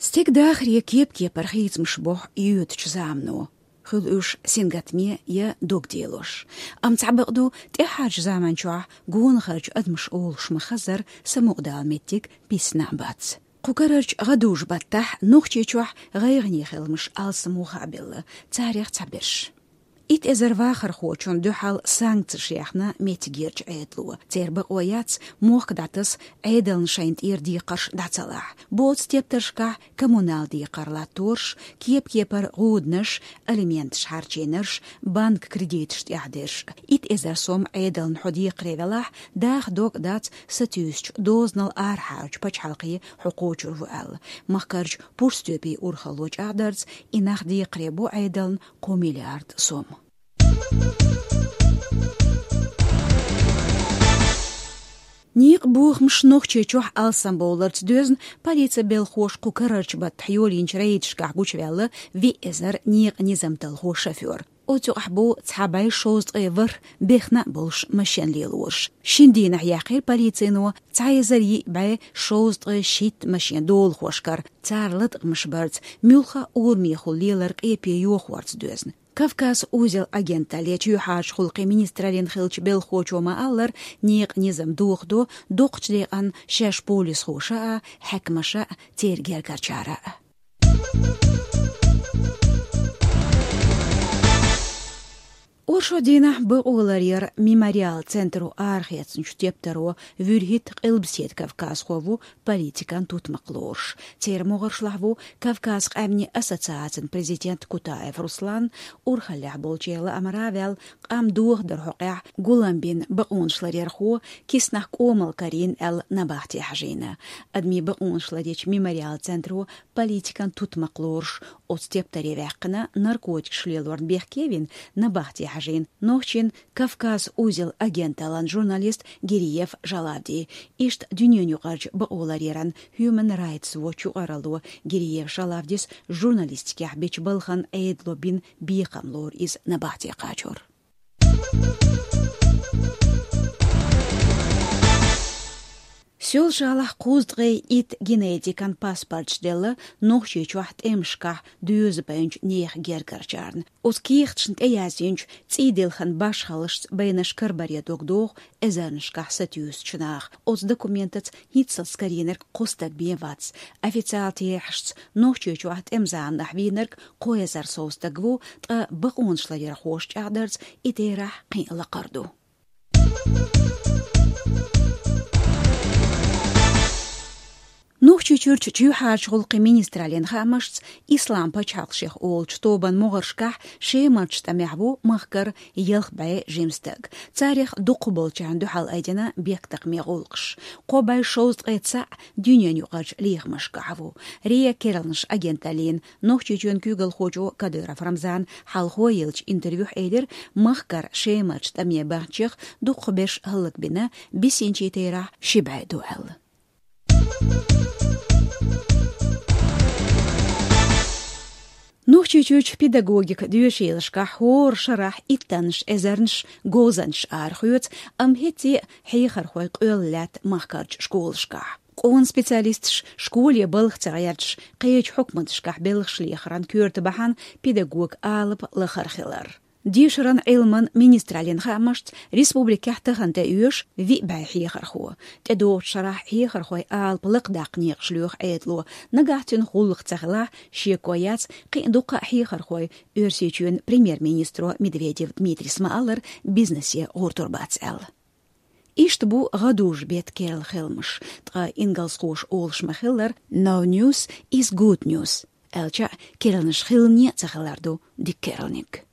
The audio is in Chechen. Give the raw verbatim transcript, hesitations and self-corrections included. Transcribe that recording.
Стеган дахаре кеп-кепара хийцамаш боху йоьдучу замано, хуьлу уьш сингаттаме я догделош. Амма цхьабакъду, тӀаьхьарчу заманчохь гонахарчу адамаш олуш ма-хаззара самукъадала меттиг писна а бац. Кху карарчу гӀадужу-баттахь Нохчийчохь гӀайгӀане хиламаш алсам ву хаа белла, царех цхьаберш. Итт эзар вахархочунна дуьхьал санкцеш яьхна меттигерчу Ӏедало. Церан бакъо яц, мохк дӀатаса, Ӏедална шайна тӀера декхарш дӀа ца лахь. Боцу тептаршкахь коммунал декхар латтораш, кеп-кепара гӀуданаш, алименташ хьарчийнарш, банк кредиташ тӀаьхьадерш. Итт эзар сом Ӏедална хьо декхаре велахь, даха дог дац сатуьйсучу дозанал арахьарчу пачхьалкхе хьо кхочур ву аьлла. Махкарчу Пурстоьпийн урхалло чӀагӀдарца, и нах декхаре бо Ӏедална кхо миллиард сом. Некъан бохамаш Нохчийчохь алсамбовларца доьзна, полицин белхахоша кху карарчу баттахь йолийначу рейдашкахь гучуваьлла виъ эзар некъан низам талхо шофёр. Оцу юкъахь бу цхьа бӀе шовзткъе ворхӀ бехна а болуш машен лелораш. Шина дийнахь яьккхира полицино цхьа эзар йиъ бӀе шовзткъе шийтта машен долахошкара, цара латкъамаш барца, муьлхха а урамехула лелар къепе йохорца доьзна. «Кавказ-Узел» агенталле чоьхьарчу гӀуллакхийн министраллин хиллачу белхахочо ма-аллара, некъан низам дохадо доккхачу декъана шаьш полисхоша а, хьаькамаша а, церан гергарчара а. Оршот дийнахь бакъоларъяран «Мемориал» центро арахецначу тептаро вуьрхӀитта къилбаседа кавказхо ву политикан тутмакх лоруш. Церан могӀаршлахь ву Кавказ къаьмнийн ассоциацин президент Кутаев Руслан, урхаллехь болчеран лаамара а ваьлла, къам дохадаран хьокъехь гулам бина бакъонашларъярхо, киснахь кӀомал карийна аьлла, набахте хьажийна. Адамийн бакъонашларъяран «Мемориал» центро политикан тутмакх лоруш, оцу тептаре ваьккхина, наркотикаш лелорна бехке а вина, набахте хьажийна нохчийн «Кавказ-Узел» агенталлин журналист Гириев Жалавди. Иштта дуьненаюкъарчу бакъоларъяран Human Rights Watch юкъаралло Гириев Жалавдис журналистикехь бечу балхана Ӏедало бина бекхам лору иза набахте кхачор. Соьлжа-ГӀалахь кхузткъе итт генетикан паспорташ делла Нохчийчохь тӀемашкахь доьза байначу нехан гергарчарна. Оцу кехаташна тӀеяздинчу цӀийделхан башхаллашца байнарш карабаре дог доху эзарнашкахь сатуьйсучу наха. Оцу документаца хӀинццалц карийнарг кхо стаг бен вац. Официалан терахьашца, Нохчийчохь тӀеман заманахь вийнарг кхо эзар сов стаг ву, ткъа бакъонашларъярхоша чӀагӀдарца, и терахь кхин а лакхара ду. Нохчийчуьрчу чоьхьарчу гӀуллакхийн министраллин хаамашца, Ислам пачхьалкх шех олучу тобан могӀаршкахь Шемарчу тӀамехь ву махкара ялх бӀе жима стаг. Царех дукхахболчарна дуьхьал айдина бехктакхаман гӀуллакхаш. Кхо бӀе шовзткъе цхьаъ дуьненаюкъарчу лехамашкахь ву. РИА керланаш агенталлина Нохчийчоьнан куьйгалхочо Кадыров Рамзана хьалхо еллачу интервьюхь элира, махкара Шемарчу тӀаме баханчех дукхахберш хӀаллакбина, бисинчийн терахь ши бӀе ду аьлла. Нохчийчуьрчу педагогикан доьшийлашкахь хӀора шарахь иттаннаш эзарнаш говзанчаш арахоьцу, амма хӀетте а хьехархой къоьлла лаьтта махкарчу школашкахь. Къона специалисташ школе балха ца гӀерташ, кхечу хьукматашкахь белхаш лехаран коьрта бахьана педагоган алапа лахара хилар. Дешаран, Ӏилман министраллин хаамашца, республикехь тахана тӀеоьшу виъ бӀе хьехархо. ТӀедогӀучу шарахь хьехархойн алапа лакхадаккха некъаш лоьху Ӏедало. Нагахь цуьнан гӀуллакх ца хилахь, шеко яц, кхин а дуккха а хьехархой Оьрсийчоьнан премьер-министро Медведев Дмитрийс ма-аллара бизнесе гӀортор бац аьлла. Иштта бу гӀадужу-беттан керла хиламаш, ткъа ингалсхоша олуш ма-хиллара: «No news is good news», аьлча а, керланаш хиларне а ца хилар ду дика керланиг.